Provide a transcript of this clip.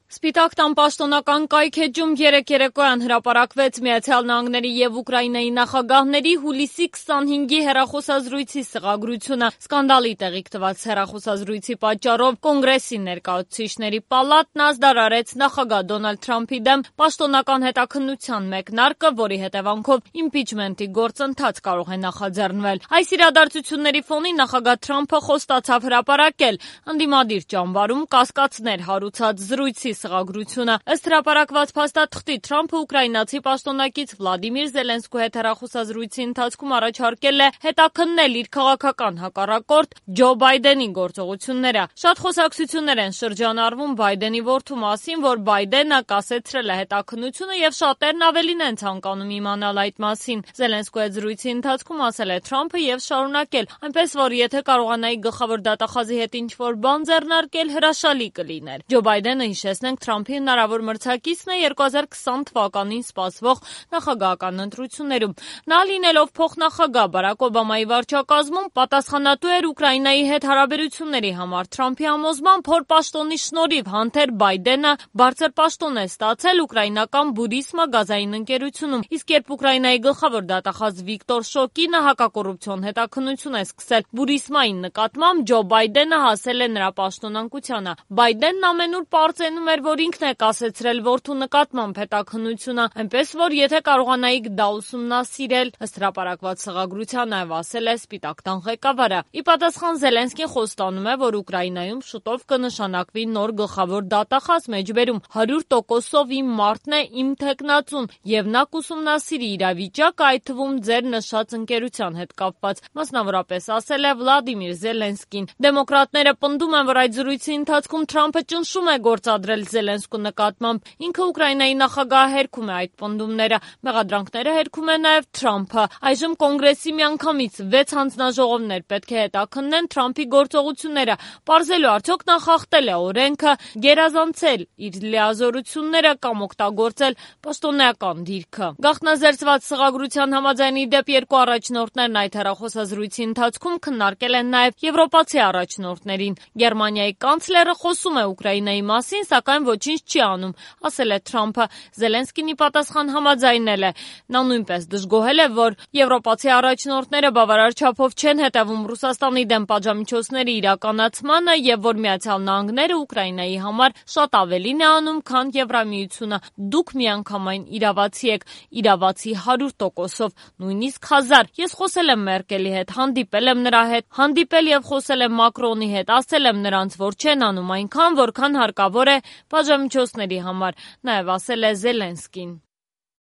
Սպիտակ տան պաշտոնական կայքէջում երեկ երեկոյան հրապարակվեց Միացյալ Նահանգների և Ուկրաինայի նախագահների հուլիսի 25-ի հեռախոսազրույցի սղագրությունը։ Սկանդալի տեղիք տված հեռախոսազրույցի պատճառով Կոնգրեսի ներկայացուցիչների պալատն ազդարարեց նախագահ Դոնալդ Թրամփի դեմ պաշտոնական հետաքննության մեկնարկը, որի հետևանքով իմպիչմենտի գործընթաց կարող է նախաձեռնվել։ Այս իրադարձությունների ֆոնին նախագահ Թրամփը խոստացավ հրապարակել ընդդիմադիր ճամբարում կասկածներ հարուցած զրույցի սղագրությունը։ Ըստ հրապարակված փաստաթղթի Թրամփը ուկրաինացի պաշտոնակից Վլադիմիր Զելենսկու հետ հեռախոսազրույցի ընթացքում առաջարկել է հետաքննել իր քաղաքական հակառակորդ Ջո Բայդենի գործողությունները։ Շատ խոսակցություններ են շրջանառվում Բայդենի որդու մասին, որ Բայդենը կասեցրել է հետաքննությունը եւ շատերն ավելին են ցանկանում իմանալ այդ մասին։ Զելենսկու հետ զրույցի ընթացքում ասել է Թրամփը եւ շարունակել. այնպես որ եթե կարողանայի գլխավոր դատախազի հետ ինչ-որ բան ձեռնարկել, հրաշալի կլիներ։ Ջո Բայդենը, հիշեցնենք, Թրամփի հնարավոր մրցակիցն է 2020 թվականին սպասվող նախագահական ընտրություններում։ Նա լինելով փոխնախագահ Բարաք Օբամայի վարչակազմում պատասխանատու էր Ուկրաինայի հետ հարաբերությունների համար։ Թրամփի համոզմամբ հոր պաշտոնի շնորհիվ Հանթեր Բայդենը բարձր պաշտոն է ստացել ուկրաինական Բուրիսմա գազային ընկերությունում, իսկ երբ Ուկրաինայի գլխավոր դատախազ Վիկտոր Շոկինը հակակոռուպցիոն հետաքննություն է սկսել Բուրիսմայի նկատմամբ, Ջո Բայդենը հասել է նրա պաշտոնանկությանը։ Բայդենն ամենուր պարծենում էր, որ ինքն է կասեցրել որդու նկատմամբ հետաքննությունը, այնպես որ եթե կարողանայիք դա ուսումնասիրել, ըստ հրապարակված սղագրության նաև ասել է Սպիտակ տան ղեկավարը։ Ի պատասխան Զելենսկին խոստանում է, որ Ուկրաինայում շուտով կնշանակվի նոր գլխավոր դատախազ, մեջբերում 100%-ով իմ մարդն է, իմ թեկնածուն, եւ նա կուսումնասիրի իրավիճակը, այդ թվում ձեր նշած ընկերության հետ կապված, մասնավորապես ասել է Վլադիմիր Զելենսկին։ Դեմոկրատները պնդում են, որ այդ զրույցի ընթացքում Թրամփը ճնշում է գործադրել Զելենսկու նկատմամբ։ Ինքը Ուկրաինայի նախագահը հերքում է այդ պնդումները։ Մեղադրանքները հերքում է նաև Թրամփը։ Այժմ Կոնգրեսի միանգամից 6 հանձնաժողովներ պետք է հետաքննեն Թրամփի գործողությունները, պարզելու արդյոք նա խախտել է օրենքը, գերազանցել իր լիազորությունները կամ օգտագործել պաշտոնեական դիրքը։ Գաղտնազերծված սղագրության համաձայն, ի դեպ, երկու առաջնորդներն այդ հեռախոսազրույցի ընթացքում քննարկել են նաև եվրոպացի առաջնորդներին։ Գերմանիայի կանցլերը խոսում է Ուկրաինայի մասին, սակայն ոչինչ չի անում, ասել է Թրամփը։ Զելենսկին ի պատասխան համաձայնել է։ Նա նույնպես դժգոհել է, որ եվրոպացի առաջնորդները բավարար չափով չեն հետևում Ռուսաստանի դեմ պատժամիջոցների իրականացմանը եւ որ Միացյալ Նահանգները Ուկրաինայի համար շատ ավելին է անում, քան Եվրամիությունը։ Դուք միանգամայն իրավացի եք, իրավացի 100%-ով, նույնիսկ 1000։ Ես խոսել եմ Մերկելի հետ, հանդիպել եմ նրա հետ, հանդիպել եւ խոսել եմ Մակրոնի հետ, ասել եմ նրանց, որ չեն անում այնքան, որքան հարկավոր է պատժամիջոցների համար, նաև ասել է Զելենսկին։